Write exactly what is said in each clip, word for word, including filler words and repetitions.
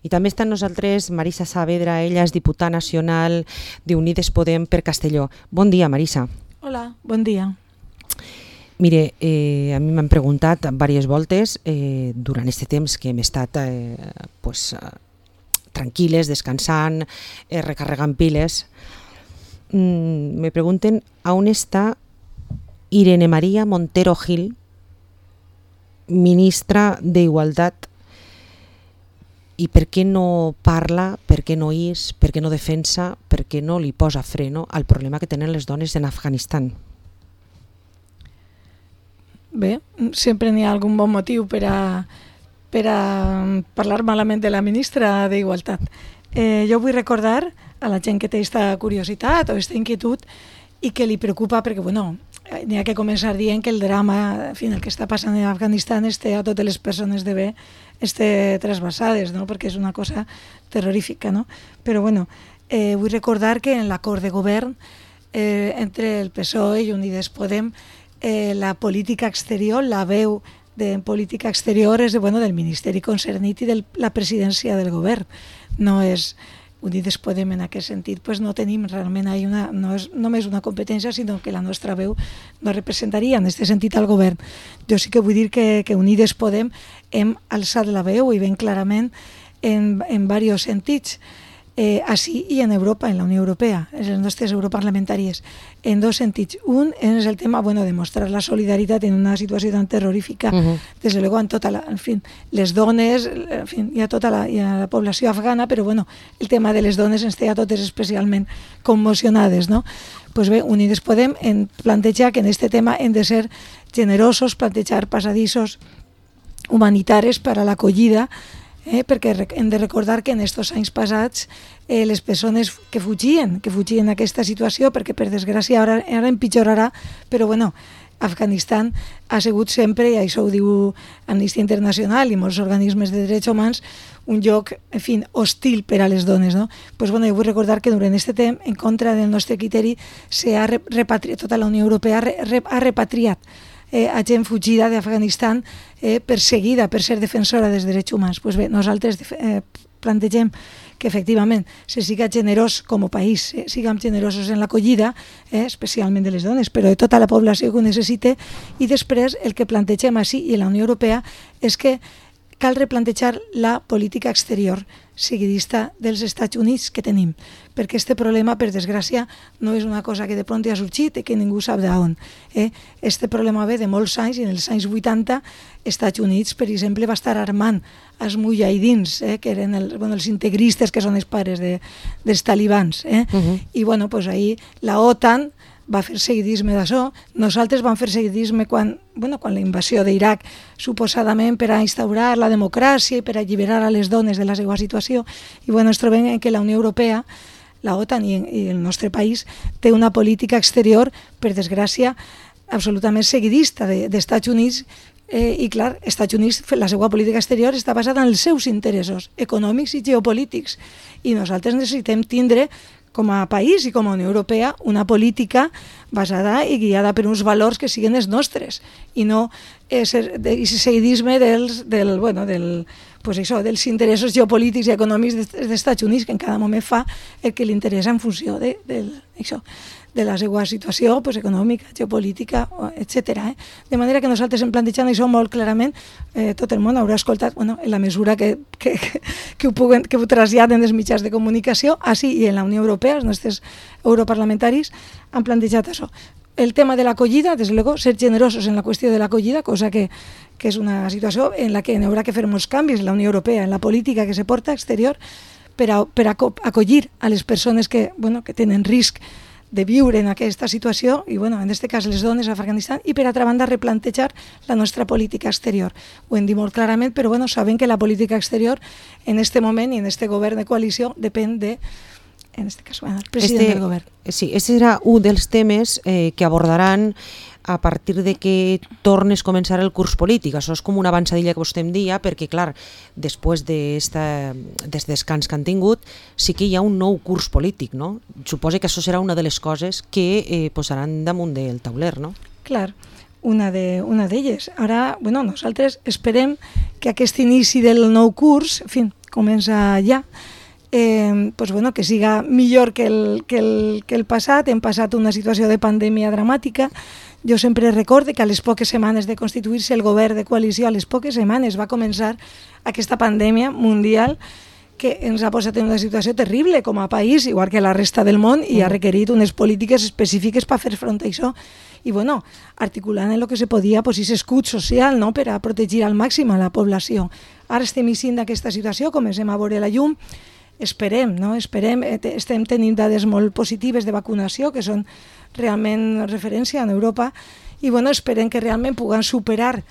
I també està amb nosaltres Marisa Saavedra, ella és diputada nacional d'Unides Podem per Castelló. Bon dia, Marisa. Hola, bon dia. Mire, eh, a mi m'han preguntat diverses voltes eh, durant aquest temps que hem estat eh, pues, eh, tranquil·les, descansant, eh, recarregant piles. Mm, me pregunten a on està Irene María Montero Gil, ministra d'Igualtat, i per què no parla, per què no és, per què no defensa, per què no li posa freno al problema que tenen les dones en Afganistan? Bé, sempre n'hi ha algun bon motiu per a, per a parlar malament de la ministra d'Igualtat. Eh, jo vull recordar a la gent que té aquesta curiositat o aquesta inquietud i que li preocupa perquè, bueno, n'hi ha que començar dient que el drama, en fi, el que està passant en Afganistan té a totes les persones de bé este trasbalsades, no? Perquè és una cosa terrorífica, no? Però bueno, eh, vull recordar que en l'acord de govern eh, entre el P S O E i Unides Podem, eh, la política exterior, la veu de política exterior és de, bueno, del Ministeri concernit i de la presidència del govern. No és Unides Podem en aquest sentit, pues no tenim realment ahí una, no és només una competència, sinó que la nostra veu no representaria en aquest sentit al govern. Jo sí que vull dir que, que Unides Podem hem alçat la veu i ben clarament en, en diversos sentits, eh, així i en Europa, en la Unió Europea, en les nostres europarlamentàries, en dos sentits. Un és el tema, bueno, de mostrar la solidaritat en una situació tan terrorífica, uh-huh. des de luego en tota la, en fin, les dones, en fin, hi ha tota la, hi ha la població afgana, però bueno, el tema de les dones ens té a totes especialment commocionades, no? Pues bé, Unides Podem en plantejar que en aquest tema hem de ser generosos, plantejar passadissos humanitaris per a l'acollida, Eh, perquè hem de recordar que en aquests anys passats eh, les persones que fugien, que fugien d'aquesta situació, perquè per desgràcia ara, ara empitjorarà, però bueno, Afganistan ha sigut sempre, i això ho diu Amnistia Internacional i molts organismes de drets humans, un lloc, en fi, hostil per a les dones, no? Pues bueno, jo vull recordar que durant aquest temps, en contra del nostre criteri, s'ha repatriat, tota la Unió Europea ha repatriat Eh, a gent fugida d'Afganistan eh, perseguida per ser defensora dels drets humans. Pues bé, nosaltres eh, plantegem que efectivament se siga generós com a país, eh, siguem generosos en l'acollida, eh, especialment de les dones, però de tota la població que ho necessita, i després el que plantegem així i en la Unió Europea és que cal replantejar la política exterior seguidista dels Estats Units que tenim, perquè aquest problema, per desgràcia, no és una cosa que de pront ha sorgit i que ningú sap d'on. Aquest eh? problema ve de molts anys, i en els anys vuitanta, Estats Units, per exemple, va estar armant els mujahidins, eh? que eren el, bueno, els integristes, que són els pares de, dels talibans. Eh? Uh-huh. I bueno, pues ahí la OTAN va fer seguidisme d'això. Nosaltres vam fer seguidisme quan, bueno, quan la invasió d'Iraq, suposadament per a instaurar la democràcia i per a alliberar a les dones de la seva situació. I bueno, ens trobem que la Unió Europea, la OTAN i, i el nostre país té una política exterior, per desgràcia, absolutament seguidista de, d'Estats Units, eh, i clar, Estats Units, la seva política exterior està basada en els seus interessos econòmics i geopolítics. I nosaltres necessitem tindre, com a país i com a Unió Europea, una política basada i guiada per uns valors que siguin els nostres i no aquest seguidisme dels, del, bueno, del, pues això, dels interessos geopolítics i econòmics dels Estats Units, que en cada moment fa el que li interessa en funció de, de, això, de la seva situació pues, econòmica, geopolítica, etcètera. Eh? De manera que nosaltres hem plantejat això molt clarament, eh, tot el món haurà escoltat, bueno, en la mesura que, que, que, ho, puguen, que ho traslladen els mitjans de comunicació, així i en la Unió Europea, els nostres europarlamentaris han plantejat això. El tema de l'acollida, des de luego, ser generosos en la qüestió de l'acollida, cosa que, que és una situació en la que hi haurà que fer molts canvis en la Unió Europea, en la política que se porta exterior, per a, per a acollir a les persones que, bueno, que tenen risc de viure en aquesta situació, i bueno, en aquest cas les dones a Afganistan, i per altra banda replantejar la nostra política exterior. Ho hem dit molt clarament, però bueno, sabem que la política exterior en aquest moment i en aquest govern de coalició depèn de, en aquest cas, bueno, el president este, del govern. Sí, aquest serà un dels temes eh, que abordaran a partir de que tornes a començar el curs polític. Això és com una avançadilla que vostè em dia, perquè, clar, després d'aquest descans que han tingut, sí que hi ha un nou curs polític, no? Suposo que això serà una de les coses que eh, posaran damunt del tauler, no? Clar, una de, una d'elles. Ara, bueno, nosaltres esperem que aquest inici del nou curs, en fi, comença ja, eh, pues bueno, que siga millor que el, que, el, que el passat. Hem passat una situació de pandèmia dramàtica. Jo sempre recorde que a les poques setmanes de constituir-se el govern de coalició, a les poques setmanes va començar aquesta pandèmia mundial que ens ha posat en una situació terrible com a país, igual que la resta del món, i ha requerit unes polítiques específiques per fer front a això. I bueno, articulant en el que se podia, pues, aquest escut social, no?, per a protegir al màxim a la població. Ara estem eixint d'aquesta situació, comencem a veure la llum, esperem, no? Esperem, estem tenint dades molt positives de vacunació, que són realment referència en Europa, i bueno, esperem que realment puguem superar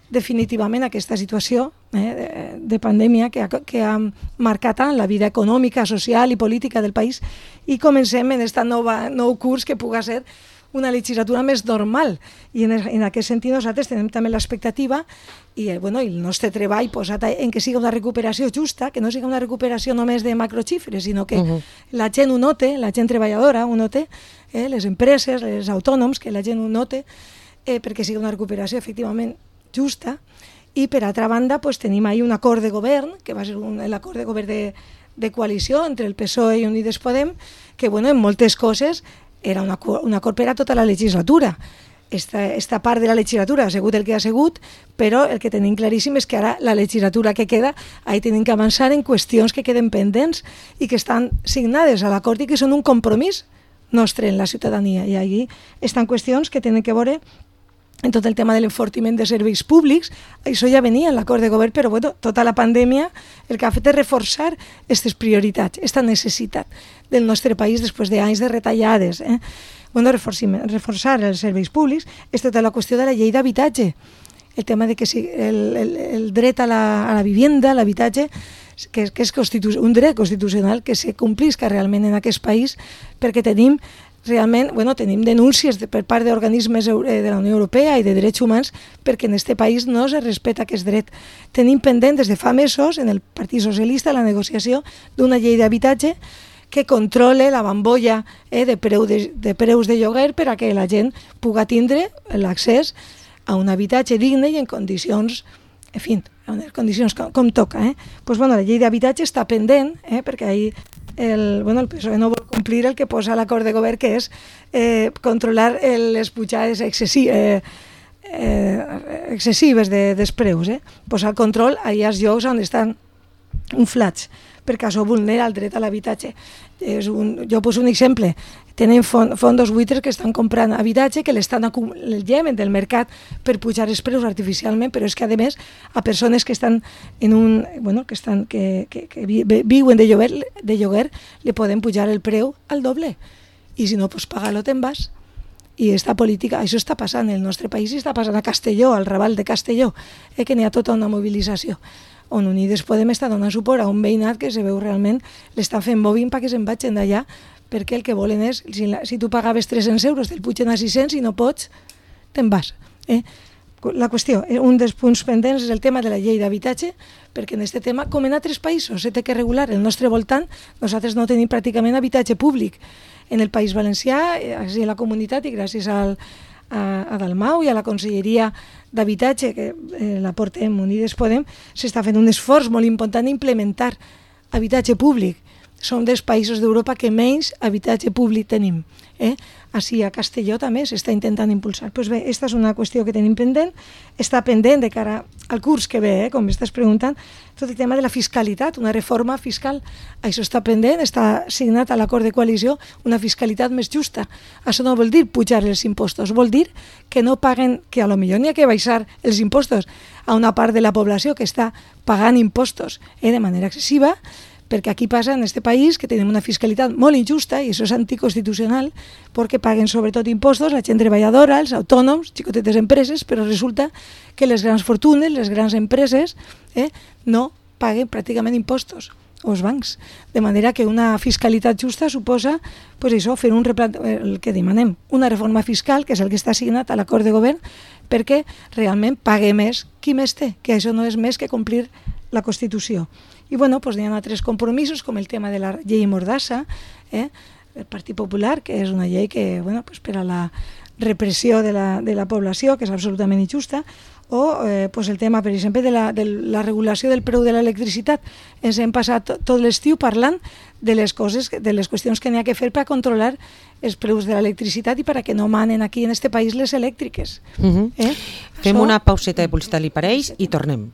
definitivament aquesta situació eh, de, de pandèmia que ha, que ha marcat tant la vida econòmica, social i política del país, i comencem en aquest nou curs que pugui ser una legislatura més normal. I en, en aquest sentit nosaltres tenim també l'expectativa i, bueno, i el nostre treball posat en que siga una recuperació justa, que no siga una recuperació només de macroxifres, sinó que uh-huh. la gent ho note, la gent treballadora ho note, eh, les empreses, els autònoms, que la gent ho note, eh, perquè sigui una recuperació efectivament justa. I per altra banda pues, tenim ahí un acord de govern, que va ser un, l'acord de govern de, de coalició entre el P S O E i Unides Podem, que bueno, en moltes coses era un acord, un acord per a tota la legislatura. Esta, esta part de la legislatura ha sigut el que ha sigut, però el que tenim claríssim és que ara la legislatura que queda, ahí tenim que avançar en qüestions que queden pendents i que estan signades a l'acord i que són un compromís nostre en la ciutadania. I allí estan qüestions que tenen que veure en tot el tema de l'enfortiment de serveis públics. Això ja venia en l'acord de govern, però bueno, tota la pandèmia el que ha fet és reforçar aquestes prioritats, aquesta necessitat del nostre país després d'anys de retallades. Eh? Bueno, reforçar els serveis públics és tota la qüestió de la llei d'habitatge. El tema de que si el, el, el dret a la, a la vivienda, a l'habitatge, que, que és constitu- un dret constitucional que se complisca realment en aquest país, perquè tenim realment, bueno, tenim denúncies de, per part d'organismes de la Unió Europea i de drets humans perquè en aquest país no se respecta aquest dret. Tenim pendent des de fa mesos en el Partit Socialista la negociació d'una llei d'habitatge que controle la bambolla eh, de, preu de, de preus de lloguer per a que la gent pugui tindre l'accés a un habitatge digne i en condicions, en fi, en condicions com, com toca. Eh? Pues, bueno, la llei d'habitatge està pendent, eh, perquè ahir el, bueno, el P S O E no vol complir el que posa l'acord de govern, que és eh, controlar el, les pujades excessi, eh, eh, excessives de, dels preus. Eh? Posar control a els llocs on estan inflats, perquè això vulnera el dret a l'habitatge. És un, jo poso un exemple. Tenen fondos buitres que estan comprant habitatge, que l'estan el lleven del mercat per pujar els preus artificialment, però és que, a més, a persones que estan en un, bueno, que estan que, que, que viuen de lloguer, de lloguer, li poden pujar el preu al doble. I si no, pues paga-lo, te'n vas. I esta política, això està passant en el nostre país i està passant a Castelló, al Raval de Castelló, eh, que n'hi ha tota una mobilització, on Unides Podem estar donant suport a un veïnat que se veu realment l'estan fent moving perquè se'n vagin d'allà, perquè el que volen és, si, la, si tu pagaves tres-cents euros, te'l pugen a sis-cents i no pots, te'n vas. Eh? La qüestió, un dels punts pendents és el tema de la llei d'habitatge, perquè en aquest tema, com en altres països, se té que regular el nostre voltant. Nosaltres no tenim pràcticament habitatge públic en el País Valencià, a la comunitat, i gràcies al a, a Dalmau i a la Conselleria d'Habitatge, que eh, la portem Unides Podem, s'està fent un esforç molt important d'implementar habitatge públic. Som dels països d'Europa que menys habitatge públic tenim. Eh? Així a Castelló també s'està intentant impulsar. Pues bé, aquesta és una qüestió que tenim pendent. Està pendent de cara al curs que ve, eh? Com m'estàs preguntant, tot el tema de la fiscalitat, una reforma fiscal. Això està pendent, està signat a l'acord de coalició, una fiscalitat més justa. Això no vol dir pujar els impostos, vol dir que no paguen, que a lo millor n'hi ha que baixar els impostos a una part de la població que està pagant impostos eh, de manera excessiva, perquè aquí passa en aquest país que tenim una fiscalitat molt injusta i això és anticonstitucional perquè paguen sobretot impostos la gent treballadora, els autònoms, xicotetes empreses, però resulta que les grans fortunes, les grans empreses eh, no paguen pràcticament impostos, o els bancs. De manera que una fiscalitat justa suposa pues això, fer un replant... el que demanem, una reforma fiscal, que és el que està assignat a l'acord de govern, perquè realment pague més qui més té, que això no és més que complir la Constitució. I bueno, pues, hi ha altres compromisos, com el tema de la llei Mordassa, eh? el Partit Popular, que és una llei que, bueno, pues, per a la repressió de la, de la població, que és absolutament injusta, o eh, pues el tema, per exemple, de la, de la regulació del preu de l'electricitat. Ens hem passat tot l'estiu parlant de les coses, de les qüestions que n'hi ha que fer per controlar els preus de l'electricitat i perquè no manen aquí en este país les elèctriques. Uh -huh. eh? Fem Això... una pauseta de publicitat, li pareix, i tornem.